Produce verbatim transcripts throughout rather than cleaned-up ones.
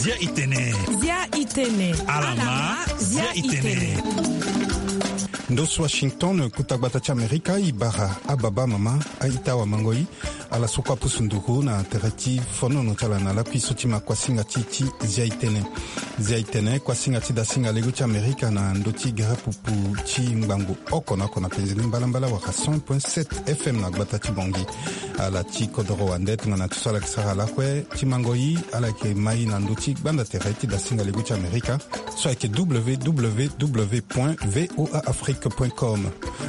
Zia itene. Zia itene. Alama. Zia itene. Ndo so Washington, kota gbata ti Amerika, e bara ababa mama, a-ita, awamango-i, ala so kue apusu nduru na tere ti fonono ti ala na lakui so ti ma kuasinga ti ti Zia itene. Zia itene, kuasinga ti dasinga lego ti Amerika na ndö ti gere pupu ti ngbangbo oko na oko na penze ni mbalambala wala cent point sept F M na gbata ti Bangui. Ala ti kodoro wande tongana ti so ala yeke sara lakue ti mango-i, ala yeke ma e na ndö ti gbanda tere ti dasinga lego ti Amerika, so ayeke W W W point V O A Afrique point com.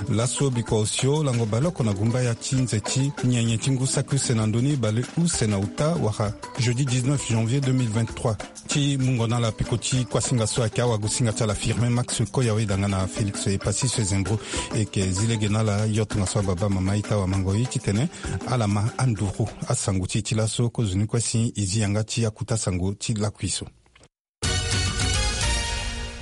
Laso bikua osio lango baleoko na gumbaya ti nze ti nyenye ti ngu saki use na ndö ni baleuse na uta wala jeudi dix-neuf janvier deux mille vingt-trois. Ti mungo na ala peko ti kuasinga so ayeke awagosinga ti ala Firmin Max Koyawe, danga na Félix Epassis Sezembro. E yeke zi lege na ala yo tongaso ababa mama, a-ita, awamango-i, titene ala ma anduru asango ti e ti laso. Kozoni kue si e zi yanga ti akota sango ti lakui so.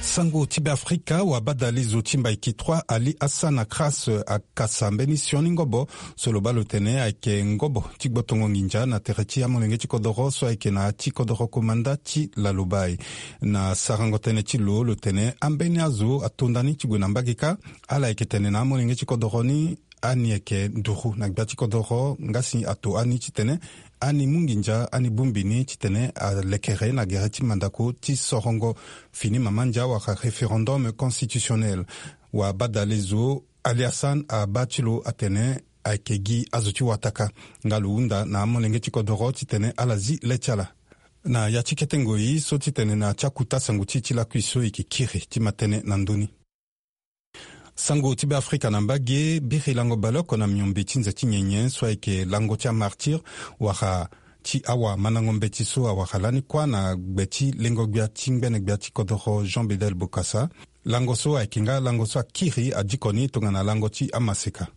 Sango ti Beafrika, wabadalezo ti Mbaiki trois Ali Hassan Akras akasa mbeni sioni ngobo so lo baa lo tene ayeke ngobo ti gbotongo nginza na tere ti amolenge ti kodoro so ayeke na ya ti kodoro komanda ti Lalobai. Na sarango tënë ti lo, lo tene ambeni azo atonda ni ti gue na mbage kâ. Ala yeke tene na amolenge ti kodoro ni, ani yeke nduru na gbia ti kodoro, nga si ato ani titene ani mu nginza, ani bongbi ni titene alekere na gere ti mandako ti sorongo fini mama ndia wala référendum constitutionnel. Wabadalezo Ali Hassan abaa ti lo atene ayeke gi azo ti wataka, nga lo hunda na amolenge ti kodoro titene ala zi le ti ala. Na ya ti kete ngoi so titene na ya ti akota sango ti e ti lakui so e yeke kiri ti ma tënë na ndö ni. Sango ti Beafrika na mbage. Biri lango baleoko na miombe ti nze ti nyenye so ayeke lango ti amartyr wala ti awamandango mbeti so awara lani kuâ na gbe ti lengo-gbia ti ngbene gbia ti kodoro Jean Bedel Bokassa. Lango so ayeke nga lango so akiri adiko ni tongana lango ti amaseka.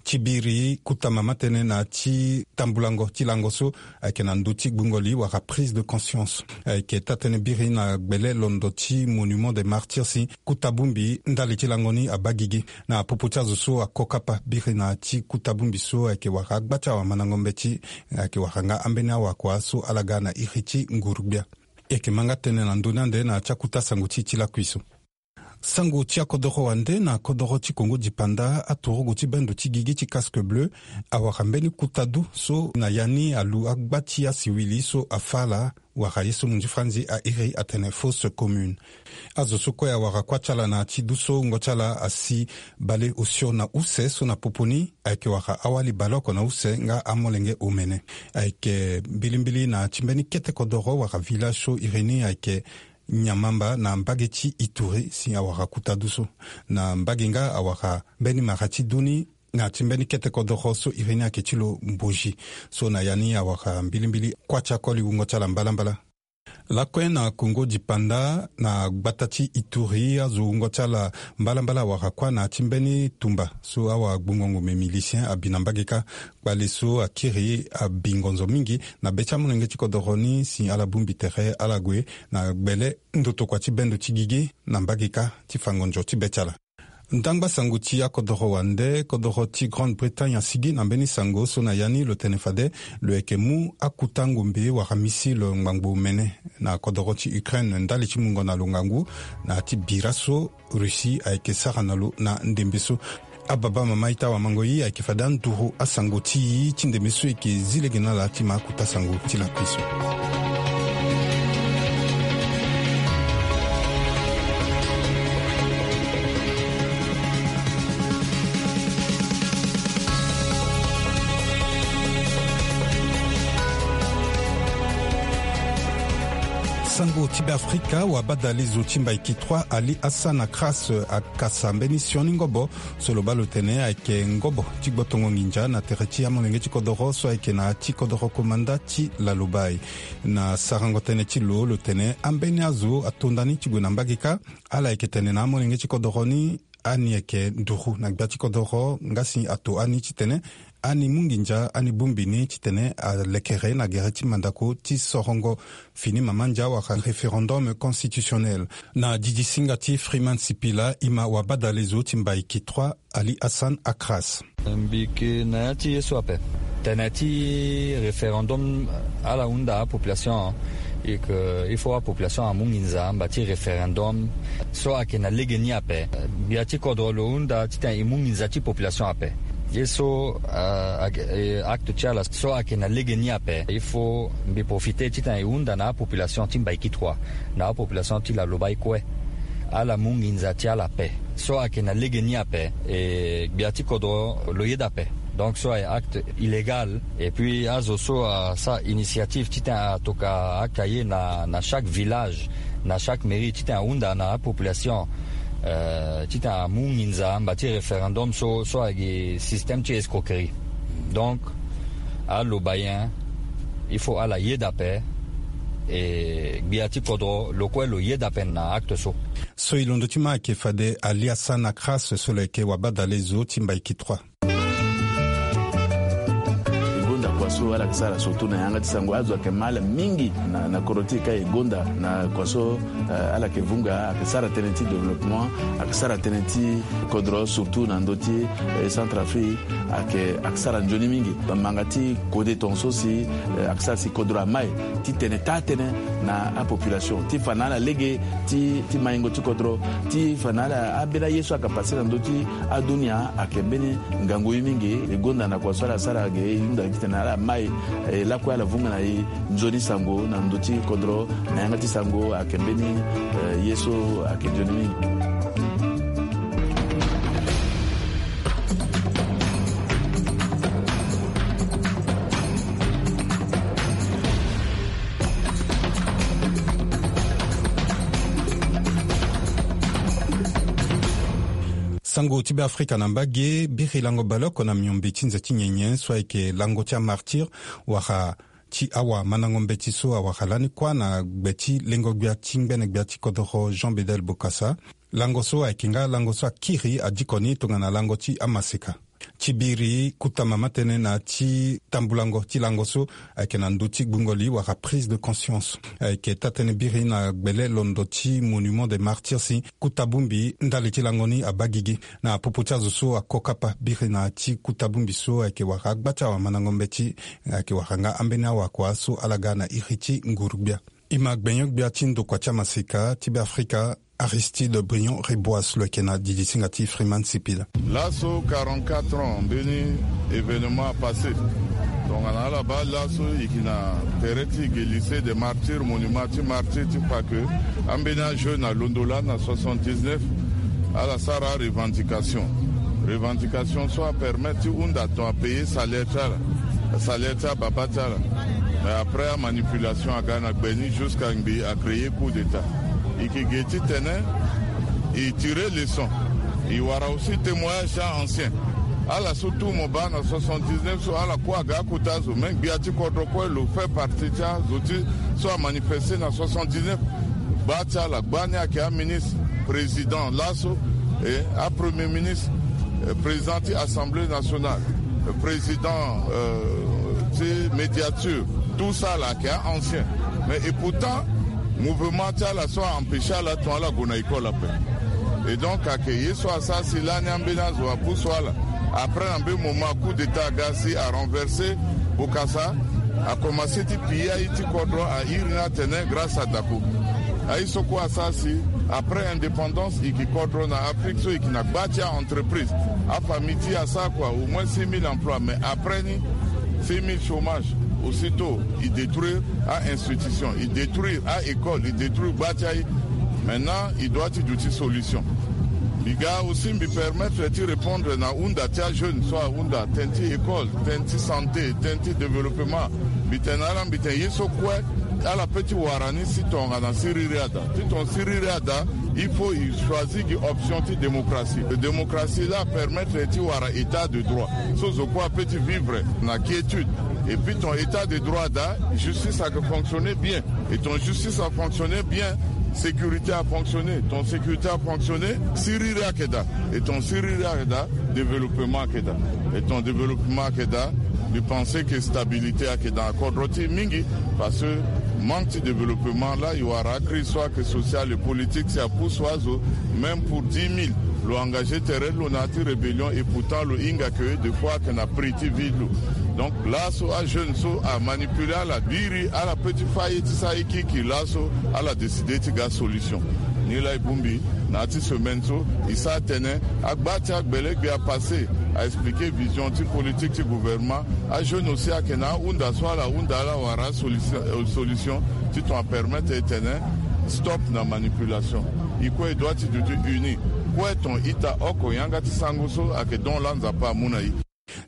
Ti biri kota mama tënë na ya ti tambulango ti lango so ayeke na ndö ti gbungo li wala prise de conscience. Ayeke taa-tënë biri na gbele londo ti Monument des Martyrs si kota bongbi ndali ti lango ni abaa gigi. Na popo ti azo so ako kapa biri na ya ti kota bongbi so ayeke wara agba ti awamandango mbeti, ayeke wara nga ambeni awakua so ala ga na iri ti nguru-gbia. E yeke ma nga tënë na ndö ni ande na ya ti akota sango ti e ti lakui so. Sango ti akodoro wande. Na kodoro ti Kongo dipanda, aturugu ti bendo ti gigi ti Casque Bleu awara mbeni kota du so na ya ni alu agba ti asiwili so afâ ala wala ye so munzu franzi airi atene fausse commune. Azo so kue awara kuâ ti ala na ya ti du so wungo ti ala asi baleosio na use so na popo ni ayeke wara awali baleoko na use nga amolenge omene. Ayeke mbilimbili na ya ti mbeni kete kodoro wala village so iri ni ayeke Nyamamba na mbage ti Ituri si awara kota du so. Na mbage nga awara mbeni mara ti du ni na ya ti mbeni kete kodoro so iri ni ayeke ti lo Mboji. So na ya ni awara mbilimbili kuâ ti akoli wungo ti ala mbalambala. Lakue na Kongo dipanda, na gbata ti Ituri, azo wungo ti ala mbalambala awara kuâ na ya ti mbeni tumba so awagbungo ngombe milicien abi na mbage kâ. Kpale so akiri abi ngonzo mingi na be ti amolenge ti kodoro ni si ala bongbi tere ala gue na gbele ndotokua ti bendo ti gigi na mbage kâ ti fa ngonzo ti be ti ala. Ndangba sango ti akodoro wande. Kodoro ti Grande-Bretagne asigi na mbeni sango so na ya ni lo tene fade lo yeke mu akota ngombe wala missile ngbangbo mene na kodoro ti Ukraine ndali ti mungo na lo ngangu na ya ti bira so Russie ayeke sara na lo na ndembe so. Ababa mama ita wamango ye ayeke fade anduru asango ti e ti ndembe so e yeke zi lege na ala ti ma akota sango ti lakui so. Sango ti Beafrika, wabadalezo ti Mbaiki trois Ali Hassan Akras akasa mbeni sioni ngobo so lo baa lo tene ayeke ngobo ti gbotongo nginza na tere ti amolenge ti kodoro so ayeke na ya ti kodoro komanda ti Lalobai. Na sarango tënë ti lo, lo tene ambeni azo atonda ni ti gue na mbage kâ. Ala yeke tene na amolenge ti kodoro ni Ani yeke nduru na gbia ti kodoro nga si ato ani titene ani mu nginza ani bongbi ni titene alekere na gere ti mandako ti sorongo fini mama ndia wala référendum constitutionnel. Na didisinga ti Freeman Sipila, e ma wabadale zo ti Mbaiki trois, Ali Hassan Akras. Mbi yeke na ya ti ye so ape. Tene ti référendum, ala hunda apopulation, e ke il faut apopulation amu nginza mba ti référendum so ayeke na legeni ape. Gbia ti kodro lo hunda titene e mu nginza ti population ape. Ye so, euh, ake- eh, acte ti ala so ayeke na legeni ape, il faut mbi profite titene e hunda na apopulation ti Mbaiki trois, na apopulation ti Lalobai kue, ala mu nginza ti ala ape. So ayeke na legeni ape, e gbia ti kodro lo yeda ape. Donc so aye acte illégal. Et puis azo so asara initiative titene atokua acte aye na, na chaque village, na chaque mairie, titene ahunda na apopulation, euh, titene amu nginza mba ti référendum so, so ayeke système ti escroquerie. Donc aloba nyen? Il faut ala yeda ape. E gbia ti kodro lo kue lo yeda ape na acte so. So e londo ti ma ayeke fade Ali Hassan Akras so lo yeke wabadale zo ti Mbaiki trois. E gonda kua so ala yeke sara surtout na yanga ti sango, azo ayeke ma ala mingi na, na kodro ti e ka e gonda na kua so, eh, ala yeke vunga, ayeke sara tënë ti développement, ayeke sara tënë ti kodro surtout na ndö ti, eh, Centrafrique, ayeke, ayeke sara nzoni mingi. Manga ti kode tongaso si, eh, ayeke sara si kodro amai titene taa tënë na apopulation ti fa na ala lege ti, ti maingo ti kodro, ti fa na ala ambeni aye so ayeke pase na ndö ti adunia ayeke mbeni ngangu ye mingi. E gonda na kua so ala sara ge e hunda titene ala mai, eh, lakue ala vunga na e nzoni sango na ndö ti kodro na yanga ti sango ayeke mbeni, eh, ye so ayeke nzoni mingi. Sango ti Beafrika na mbage. Biri lango baleoko na miombe ti nze ti nyenye so ayeke lango ti amartyr wala ti awamandango mbeti so awara lani kuâ na gbe ti lengo-gbia ti ngbene-gbia ti kodoro Jean Bedel Bokassa. Lango so ayeke nga lango so akiri adiko ni tongana lango ti amaseka. Ti biri kota mama tënë na ti tambulango ti lango so ayeke na ndö ti gbungo li wala prise de conscience. Ayeke taa-tënë biri na gbele londo ti Monument des Martyrs si kota bongbi ndali ti lango ni abaa gigi. Na popo ti azo so ako kapa biri na ya ti kota bongbi so ayeke wara agba ti awamandango mbeti, ayeke wara nga ambeni awakua so ala ga na iri ti nguru-gbia. E ma gbenyo-gbia ti ndokua ti amaseka ti Beafrika, Aristide Briand Ribois lo yeke na didisinga ti Freeman Sipila. Laso quarante-quatre ans mbeni événement apassé. Tongana ala baa laso e yeke na tere ti e ge lycée des martyrs, monument ti martyr ti fa ke ambeni ajeune alondo lani na soixante-dix-neuf, ala sara arevendication. Revendication so apermettre ti hunda ton apayer salaire ti ala, salaire ti ababa ti ala. Mais après amanipulation aga na gbe ni jusqu'à ngbii acréer coup d'état. E yeke ge titene e tire leçon, e wara aussi témoignage ti a-ancien. Ala so tout mo baa na soixante-dix-neuf so ala kue aga akota zo, même gbia ti kodro kue lo fait partie ti azo ti so amanifester na soixante-dix-neuf. Gba ti ala, gba ni ayeke aministre, président laso, e apremier ministre, eh, président ti Assemblée nationale, eh, président, euh, ti médiature, tout ça là ayeke a-ancien. Mais et pourtant mouvement ti ala so a-empêcher ala ton ala gue na école ape. Et donc ayeke ye so asara si lani ambeni azo apusu ala. Après na mbeni moment coup d'état aga si arenverser Bokassa, akomanse ti piller aye ti kodro, a iri ni atene grâce à Daco. Aye so kue asara si après indépendance e yeke kodro na Afrique so e yeke na gba ti a-entreprise. Afamille ti e asara kua au moins six mille emplois, mais après ni six mille chômage. Aussitôt e détruire a-institution, e détruire a-école, e détruire gba ti aye. Maintenant e doit ti duti solution. Mbi ga aussi mbi permettre ti répondre na hunda ti ajeune so ahunda tënë ti école, tënë ti santé, tënë ti développement. Mbi tene na ala, mbi tene ye so kue ala peut ti wara ni si tongana siriri ada. Ti ton siriri ada, il faut e choisir gi option ti démocratie. Démocratie la apermettre ti wara état de droit so zo kue apeut ti vivre na quiétude. Et puis ton état de droit ada, justice ayeke fonctionner bien. Et ton justice afonctionner bien, Sécurité a fonctionné, ton sécurité a fonctionné, siriri ayeke daa. Et ton siriri ayeke daa, développement ayeke daa. Et ton développement ayeke daa, mbi pense que stabilité ayeke daa na kodro ti mingi. Parce que manque ti développement laa, e wara acrise so ayeke sociale et politique si apousse azo, même pour dix mille lo engagé tere ti lo na ya ti rébellion, et pourtant lo hinga que des fois ayeke na prix ti vie ti lo. Donc laso ajeune so amanipule ala, biri ala pe ti fa ye ti sara ye kirikiri laso, ala décide ti ga solution. Ni laa e bongbi na ya ti semaine so, e sara tene agba ti agbelegbe apasse, a expliquer vision ti politique ti gouvernement. Ajeune aussi ayeke na ahunda so ala hunda, ala wara solution, solution ti ton apermettre e tene stop na manipulation. E kue e doit ti duti uni. Kue ton ita oko yanga ti sango so ayeke don laa Nzapa amu na e.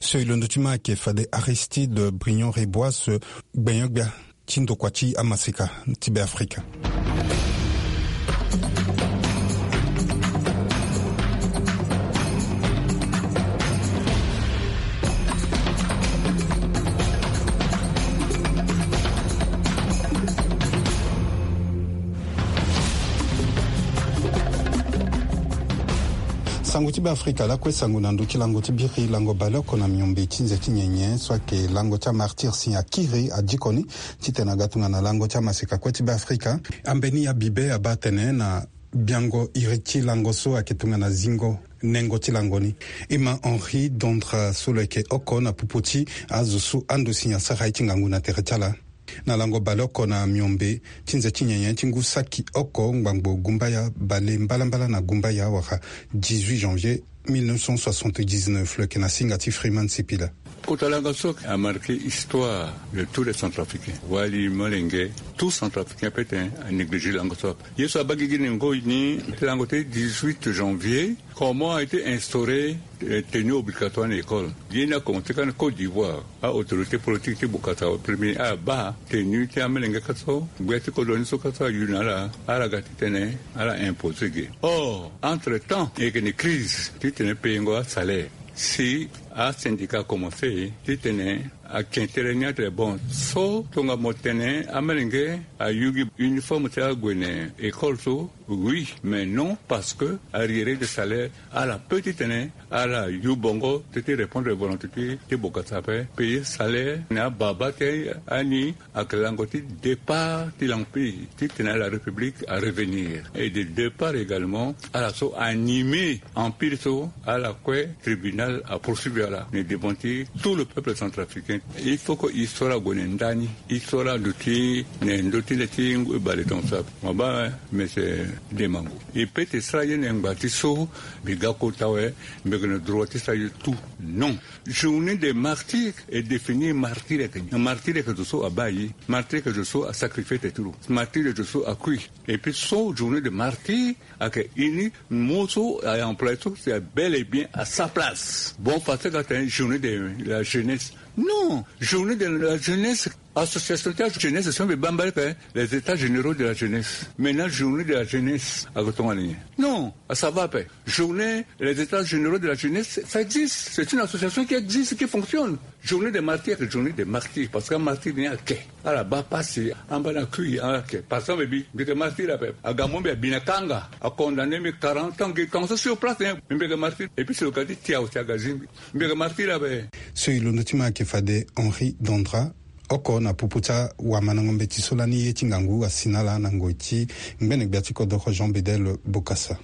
So e londo ti ma ayeke fade Aristide Briand Rebois, gbenyo-gbia ti ndokua ti amaseka ti Beafrika. Sango ti Beafrika lakue sango na ndö ti lango ti biri, lango baleoko na miombe ti nze ti nyenye so ayeke lango ti amartyr si akiri adiko ni titene aga tongana lango ti amaseka kue ti Beafrika. Ambeni abibe abaa atene na biango iri ti lango so ayeke tongana zingo nengo ti lango ni. Emma Henri Dondra so lo yeke oko na popo ti azo so ando si asara ye ti ngangu na tere ti ala. Na lango baleoko na miombe ti nze ti nyenye ti ngu saki oko ngbangbo gumbaya bale mbalambala na gumbaya wala dix-huit janvier mille neuf cent soixante-dix-neuf, lo yeke na singa ti Freeman Sipila. Kota lango so amarqué histoire de tous les Centrafricains. Wali, molenge, tout Centrafricain peut-être a négligé lango so. Ye so abaa gigi ni ngoi ni, lango ti dix-huit janvier, comment a été instauré, euh, tenue obligatoire na école. Ye ni akomanse kâ na Côte d'Ivoire. A autorité politique ti Bokassa premier abaa tenue ti amelenge kâ so, gbia ti kodro ni so kâ so ayu na ala, ala ga titene ala imposer ge. Or, entre-temps, e yeke na crise titene payengo asalaire. Si asyndicat akomanse titene akin tere ni atene bon, so tonga mo tene amelenge ayu gi uniforme ti ague na école so, oui, mais non, parce que arriéré de salaire, ala pe titene ala yu bongo ti, ti répondre volonté ti, ti Bokassa ape, payer salaire na ababa ti ani. Ayeke lango ti départ ti l'empire, titene la République a revenir. Et de départ également, ala so animé empire so, ala kue tribunal a poursuivi ala na devant ti tout le peuple centrafricain. Il faut que histoire ague na ndani, histoire aduti na ndö ti le ti ngoi baleton so. Mo baa, eh, monsieur Demango. E peut ti sara ye na ngba ti so, mbi ga kota awe, mbi yeke na droit ti sara ye tout. Non. Journée des martyrs est définie, martyr ayeke nyen? Martyr ayeke zo so abaa ye. Martyr ayeke zo so asacrifié tene ti lo. Martyr ayeke zo so akui. Et puis so journée de martyr ayeke ini mo so a employé so, c'est bel et bien à sa place. Bon, parce que atene journée de la jeunesse. Non, journée de la jeunesse, association ti ajeunesse so mbi baa mbali ayeke les états généraux de la jeunesse. Maintenant, journée de la jeunesse ayeke tongana nyen? Non, ça va ape. Journée, les états généraux de la jeunesse, ça existe. C'est une association qui existe, qui fonctionne. Journée des martyrs, journée des martyrs, parce que martyr ni ayeke. Ala baa pasi, amba na kui, ala yeke. Par exemple, mbi, mbi yeke martyr ape. Aga mo mbi abi na kanga, a condamné mbi quarante ans, ngi kan so sur place, hein. Mbi yeke martyr. Et puis, c'est le cas de Tiao, Tiagazimbi. Mbi yeke martyr ape. So e londo ti ma ayeke fade Henri Dondra, oko na popo ti awamandango mbeti so lani ye ti ngangu asi na ala na ngoi ti ngbene gbia ti kodoro Jean Bedel Bokassa.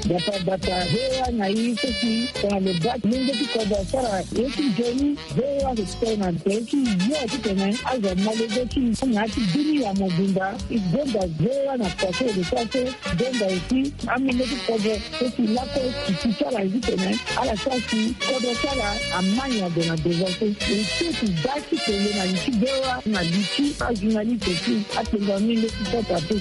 Bata bata, V O A na i so si tongana lo baa ti lenge ti kodro asara ye ti nzoni, V O A respect na tere ti yo titene azo amolenge ti i na ya ti bini ya mobimba. I gonda V O A na kua so e lo sara so, gonda aussi amolenge ti kodro so si lakue ti ti ti ala titene ala sara si kodro ti ala ama nyen ague na devant so. E so ti baa ti tene na li ti V O A na li ti ajournaliste aussi. Apenza ni nde ti kota te.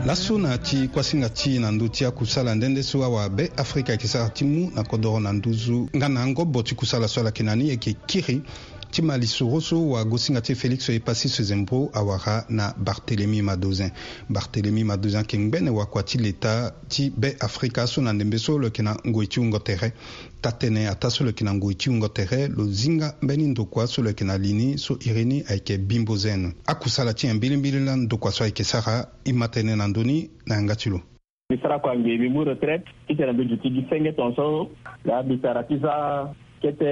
Laso na ti kuasinga ti na ndö ti akusala nde nde so awa Be Afrika ayeke sara ti mu na kodoro na nduzu nga na ngobo ti kusala so ala yeke na ni ayeke kiri Ti ma lisoro so wagosinga ti e Félix Epassi Sezembro awara na Barthélemy Madozin. Barthélemy Madozin ayeke ngbene wakua ti leta ti Be Afrika so na ndembe so lo yeke na ngoi ti wungo tere. Taa-tënë ataa so lo yeke na ngoi ti wungo tere lo zinga mbeni ndokua so lo yeke na li ni so iri ni ayeke Bimbo Zen. Akusala ti nyen mbilimbili laa ndokua so ayeke sara? E ma tënë na ndö ni na yanga ti lo. Mbi sara kua ngbene mbi mu retraite titene mbi duti gi senge tongaso. Laa mbi sara ti za kete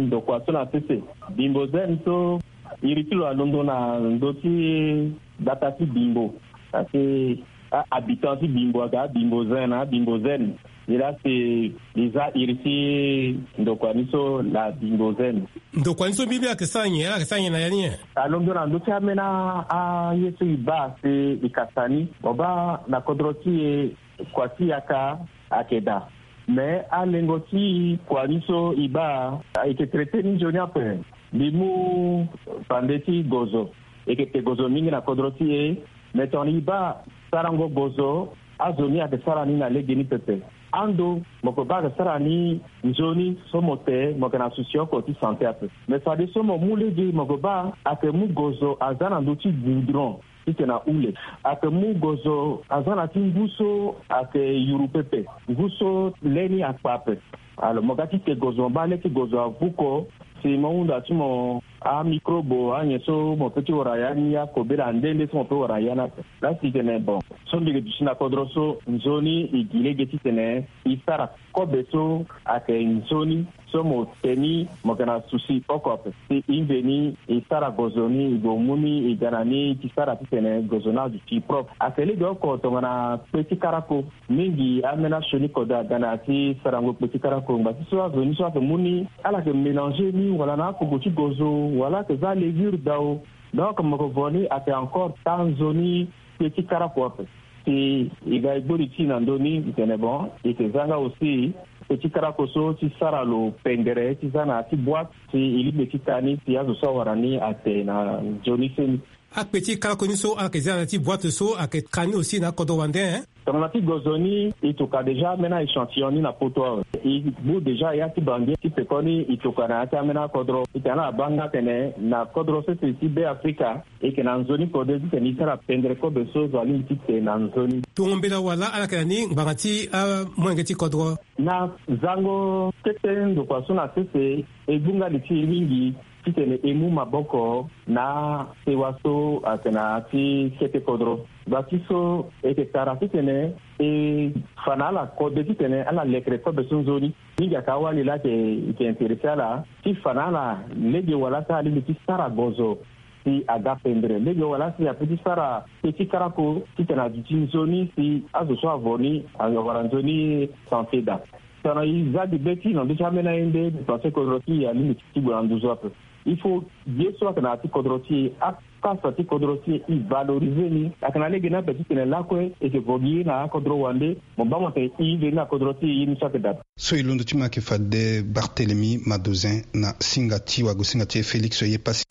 ndokua so na sese. Bimbo Zen so iri ti lo alondo na ndö ti gbata ti Bimbo. Parce que a-habitant ti Bimbo ayeke a-Bimbo Zen na a-Bimbo Zen. Nilaa si e za iri ti ndokua ni so na Bimbo Zen. Ndokua ni so mbi mbi ayeke sara nyen? Ala yeke sara nyen na ya ni nyen? Alondo na ndö ti ambeni aye so e baa si e kasa ni. Mo baa na kodro ti e kua ti yaka ayeke daa. Me alengo ti kua ni so e baa ayeke traité ni nzoni ape. Mbi mu pande ti gozo. E yeke te gozo mingi na kodro ti e. Me tongana e baa sarango gozo, azo ni ayeke sara ni na legeni pepe. Ando mo yeke baa ayeke sara ni nzoni so mo te mo yeke na souci oko ti santé ape. Me fadeso mo mu lege mo yeke baa ayeke mu gozo aza na ndö ti goudron titene ahule. Ayeke mu gozo aza na ti ngu so ayeke yuru pepe, ngu so le ni akpa ape. Alors mo ga ti te gozo mo baa le ti gozo avuko. Si mo hunda ti mo amicrobe anyen so mo peut ti wara ya ni akobela nde nde so mo peut wara ya ni ape. Laa si tene bon so mbi yeke duti na kodro so nzoni e gi lege titene e sara kobe so ayeke nzoni so mo te ni mo yeke na souci oko ape. Si e mveni e sara gozo ni e gue mu ni e ga na ni e ti sara titene gozo ni aduti propre. Ayeke lege oko tongana kpe ti karako. Mingi ambeni asioni kode aga na ya ti sarango kpe ti karako ngba ti so azo ni so ayeke mu ni ala yeke mélanger ni wala na akogo ti gozo wala ayeke za levure dao. Donc mo yeke vo ni ayeke encore taa nzoni kpe ti karako ape. Si e ga e gbori ti e na ndö ni e tene bon e yeke za nga aussi kpe ti karako so ti sara lo pendere ti za na ya ti boîte si e lingbi ti taa ni si azo so awara ni ate na nzoni seni. Akpe ti karako ni so ala yeke za na ya ti boîte so ayeke ka ni aussi na akodro wande, hein? Tongana ti gozo ni e toka déjà ambeni échantillon ni na poto awe. E bu déjà ya ti bangi ti pekoni e toka na ya ti ambeni akodro. E tene ala baa nga atene na kodro sese ti Be Afrika e yeke na nzoni kode titene e sara pendere kobe so zo alingbi ti te na nzoni. Tongo mbela wala ala yeke na ni ngbanga ti amolenge ti kodro? Na zango kete ndokua so na sese e gbu nga li ti e mingi titene e mu maboko na sewa so ayeke na ya ti kete kodro. Ngba ti so e yeke tara titene e fa na ala kode titene ala lekere kobe so nzoni. Mingi ayeke awali laa ayeke intéressé ala ti fa na ala lege wala si alingbi ti sara gozo si aga pendere lege wala si ape ti sara kpe ti karako titene aduti nzoni si azo so avo ni awara nzoni santé daa. Tongana e za gi be ti e na ndö ti ambeni aye nde mbi pense kodro ti e alingbi ti gue na nduzu ape. Il faut ye so ayeke na ya ti kodro ti e, akasa ti kodro ti e, e valoriser ni. Ayeke na lege ni ape titene lakue e yeke vo gi ye na akodro wande. Mo baa mo tene e veni na kodro ti e ye ni so ayeke daa. So e londo ti mo ayeke fade Barthélemy Madozin na singa ti wagosinga ti e Félix Yepassi.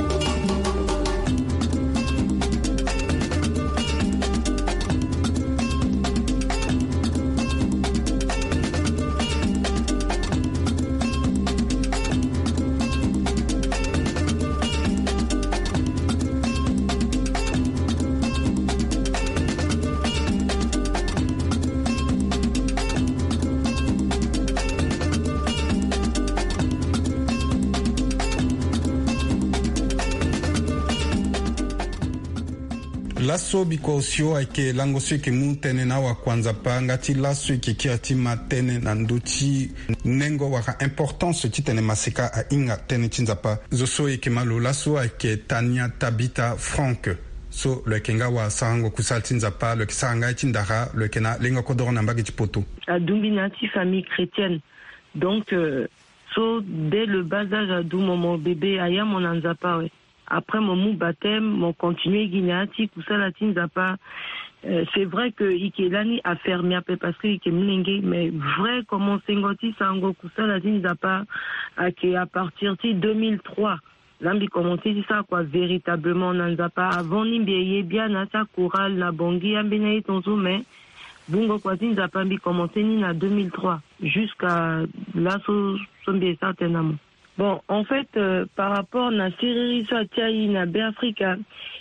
Laso bikua osio ayeke lango so e yeke mu tënë na awakuanzapa nga ti laso e yeke kiri ti ma tënë na ndö ti nengo wala importance titene maseka ahinga tënë ti Nzapa. Zo so e yeke ma lo laso ayeke Tania Tabitha Frank, so lo yeke nga wasarango kusala ti Nzapa, lo yeke sara nga ye ti ndara, lo yeke na lengo kodoro na mbage ti poto. Adumbi na ya ti famille chrétienne. Donc, euh, so dès le bas âge adu mo, mo bébé aya mo na Nzapa awe. Après mo mu baptême, mo continuer gi na ya ti kusala ti Nzapa. Euh, c'est vrai que e yeke lani afermé ape parce que e yeke molenge, mais vrai commencengo ti sarango kusala ti Nzapa ayeke à partir ti deux mille trois. Laa mbi commencé ti sara kua véritablement na Nzapa. Avant ni mbi ye bia na ya ti akoral na Bangui ambeni aye tongaso, mais bungo kua ti Nzapa mbi commencé ni na deux mille trois jusqu'à laso so mbi ye sara tënë na mo. Bon, en fait, euh, par rapport na siriri so atia i na Be Afrika,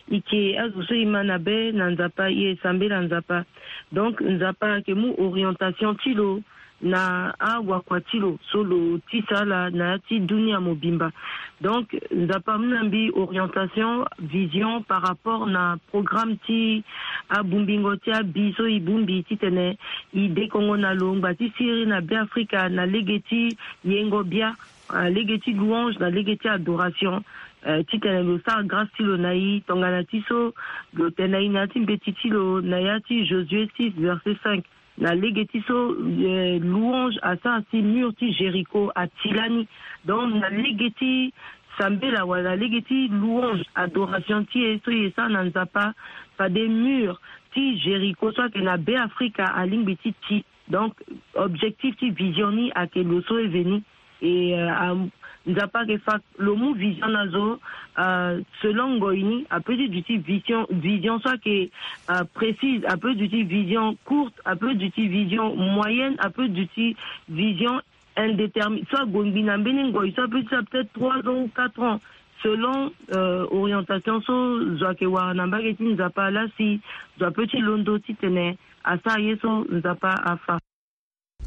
i ke azo so i ma na be na Nzapa, i e sambela Nzapa. Donc Nzapa ake mu orientation ti lo na awakua ti lo so lo tisa ala na ya ti dunia mobimba. Donc Nzapa amu na mbi orientation, vision par rapport na programme ti abungbingo ti abi so i bongbi titene i dekongo na lo ngba ti siriri na Be Afrika na lege ti yengo bia, ah, lege ti louange na lege ti adoration, eh, titene lo sara grâce ti lo na i tongana ti so lo tene na i na ya ti mbeti ti lo na ya ti Josué six verset cinq, na lege ti so, eh, louange asara si mur ti Jéricho ati lani. Donc na lege ti sambela wala lege ti louange, adoration ti e so i e sara na Nzapa, fade mur ti Jéricho so ake na Be Afrika alingbi ti ti. Donc objectif ti vision ni ake lo so e veni. Et, euh, am-, Nzapa ake fa lo mu vision na zo, euh, selon ngoi ni, ape ti duti vision, vision so ake, euh, précise, ape duti vision courte, ape duti vision moyenne, ape duti vision indéterminée. So agongbi na mbeni ngoi so ape ti peut-être trois ans ou quatre ans, selon, euh, orientation so zo ake wara na mbage ti Nzapa, la si zo ape ti londo titene asara ye so Nzapa afa.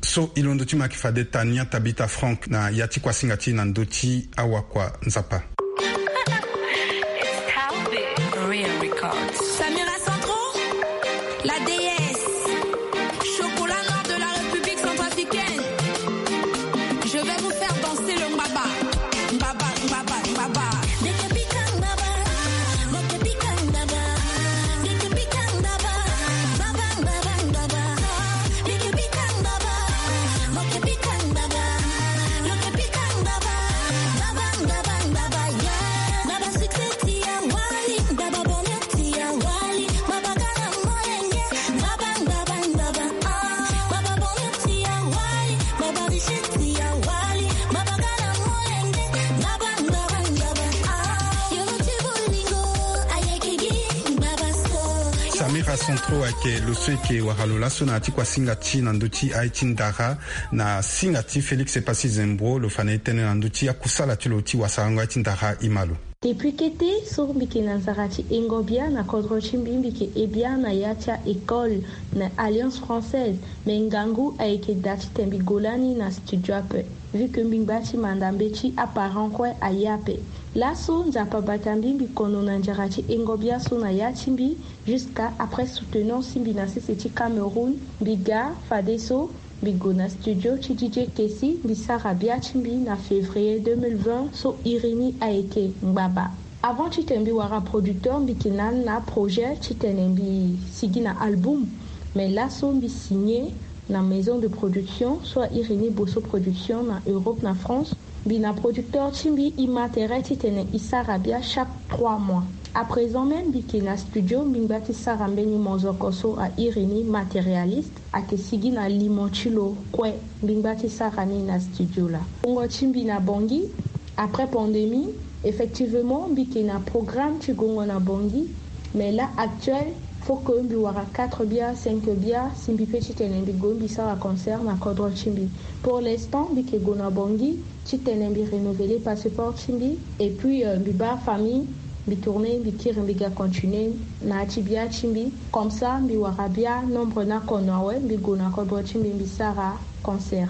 So i londo ti mo ayeke fade Tania Tabitha Frank na ya ti kuasinga ti e na ndö ti awakua Nzapa. Samira Centro, la déesse, chocolat noir de la République centrafricaine. Je vais vous faire danser le mbaba. Mbaba, mbaba, mbaba. Samira Centro ayeke lo so e yeke wara lo laso na ya ti kuasinga ti e na ndö ti aye ti ndara, na singa ti Félix Epassi Zembro, lo fa na e tënë na ndö ti akusala ti lo ti wasarango aye ti ndara. E ma lo. Depuis kete so mbi yeke na nzara ti hengo bia na kodro ti mbi, mbi yeke he bia na ya ti a-école na Alliance Française, me ngangu ayeke daa titene mbi gue lani na studio ape, vu que mbi ngba ti manda mbeti aparent kue aye ape. Laso Nzapa abata mbi, mbi kono na nzara ti hengo bia so na ya ti mbi, jusqu'à après soutenance ti mbi na sese ti Cameroun, mbi ga fadeso mbi gue na studio ti D J Kessy, mbi sara bia ti mbi na février deux mille vingt, so iri ni ayeke Ngbaba. Avant titene mbi wara producteur, mbi yeke na ni na projet titene mbi sigi na album. Mais laso mbi signé na maison de production so a iri ni Bosso Production na Europe na France. Mbi na producteur ti mbi, e ma tere titene e sara bia chaque trois mois. À présent même, mbi yeke na studio, mbi ngba ti sara mbeni mozoko so a iri ni Matérialiste, ayeke sigi na limo ti lo kue. Mbi ngba ti sara ni na studio laa. Wungo ti mbi na Bangui, après pandémie, effectivement mbi yeke na programme ti gongo na Bangui. Mais là actuel, faut que mbi wara quatre bia, cinq bia si mbi pe titene mbi gue mbi sara concert na kodro ti mbi. Pour l'instant mbi yeke gue na Bangui titene mbi renouveler passeport ti mbi, et puis, euh, mbi baa famille, mbi tourner, mbi kiri, mbi ga continuer na ya ti bia ti mbi. Comme ça mbi wara bia nombre ni akono awe, mbi gue na kodro ti mbi, mbi sara concert.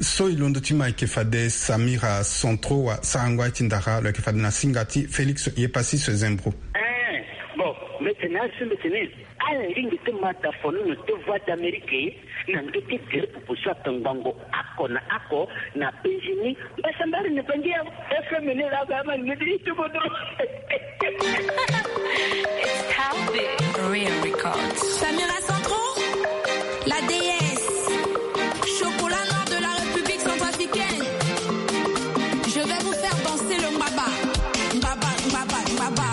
So e londo ti mo ayeke fade Samira Centro wasarango aye ti ndara, lo yeke fade na singa ti Félix Epassi Zembro. Eh, bon, mbi tene asi, mbi tene ala lingbi ti mata fono na ti Voix d'Amérique na ndö ti gere pupu so atongbango oko na oko na Benjini. Mbasambari na Bangi ya F M ni la ba ma ni ti kodro. It's Calvin Real Records. Samira Centro, la déesse, chocolat noir de la République centrafricaine. Je vais vous faire danser le mbaba. Mbaba, mbaba, mbaba.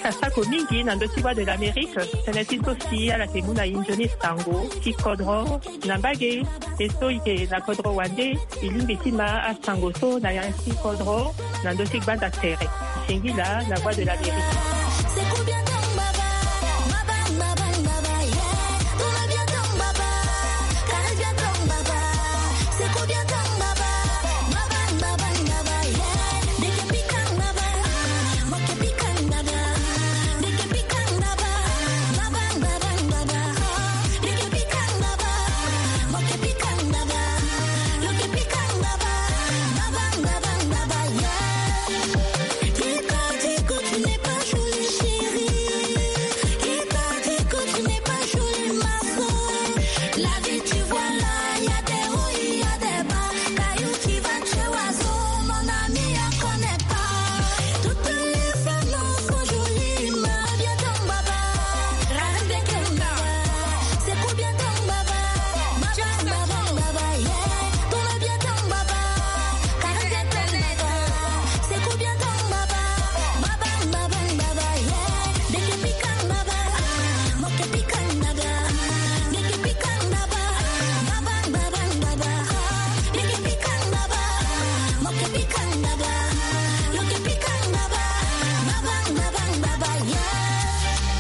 Asako mingi na ndö ti Voix de l'Amérique, tënë ti so si ala yeke mu na e nzoni sango ti kodro na mbage. E so e yeke na kodro wande, e lingbi ti ma asango so na ya ti kodro na ndö ti gbanda tere. Singila na Voix de l'Amérique.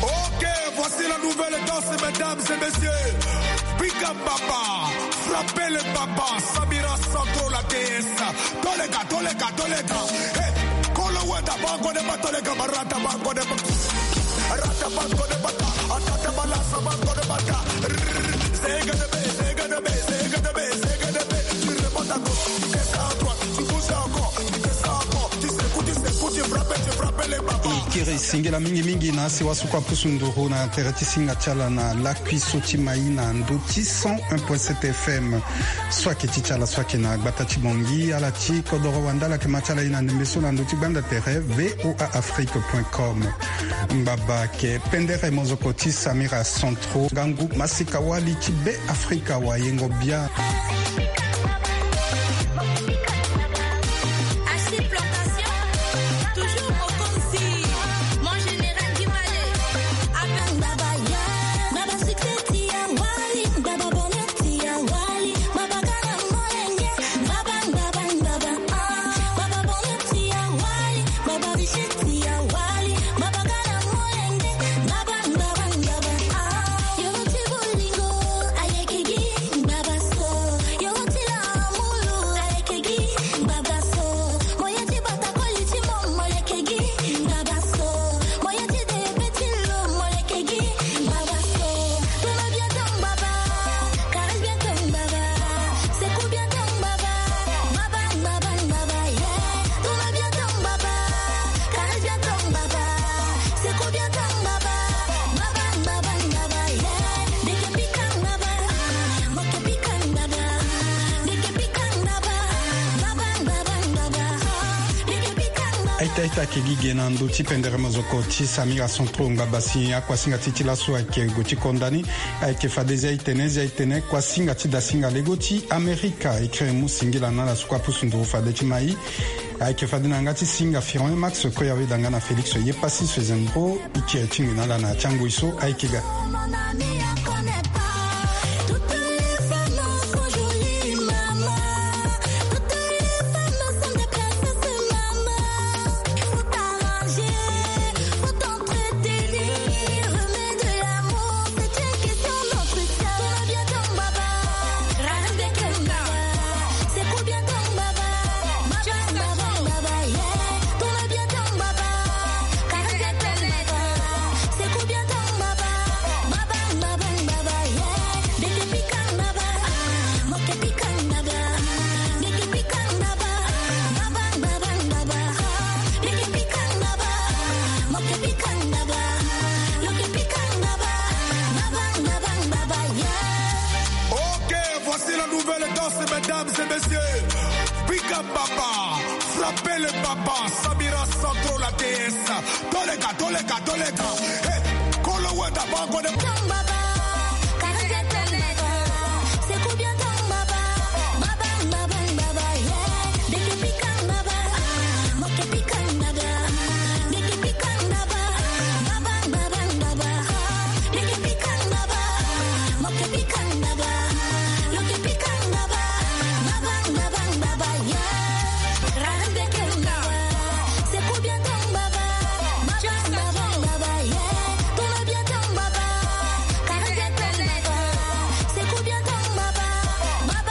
Ok, voici la nouvelle danse, mesdames et messieurs. Big up, papa. Frappez le papa. Samira Sandro, la déesse. Tolega, tolega, tolega. Hey, kolo weta bango de ba tolega, barata bango de ba. Rata bango de bata. Atata balasa bango de bata. Zega de be, zega de be, zega de be, zega de be. Tu remontes à gauche, tu descends à droite, tu bouges encore, tu descends encore, tu secoues, tu secoues, tu frappes, tu frappes les babas. E kiri singila mingi mingi na asi wasu kua pusu nduru na tere ti singa ti ala na lakui so ti mai na ndö ti cent un point sept F M. So ayeke ti ti ala so ayeke na gbata ti Bangui, ala ti kodoro wande, ala yeke ma ti ala ye na ndembe so na ndö ti gbanda tere V O A Afrique point com. Ngbaba ayeke pendere mozoko ti Samira Sandro, ngangu masika wali ti Be Afrika, wayengo bia. Aita aita, ayeke gi ge na ndö ti pendere mozoko ti Samira Sandro. Ngbaba si akuasinga ti ti laso ayeke gue ti konda ni. Ayeke fade zia itene, zia itene kuasinga ti dasinga lego ti Amerika. E kiri mu singila na ala so kua pusu nduru fade ti mai. Ayeke fade na yanga ti singa Firon Max, Koya Weda nga na Félix Yepasi so e zembro. E kiri ti ngi na ala na ya ti angoi so ayeke ga. Ok, voici la nouvelle danse, mesdames et messieurs. Big up, papa. Frappez le papa. Samira Sandro, la déesse. Tolega, tolega, tolega. Hey, kolo weta bango de.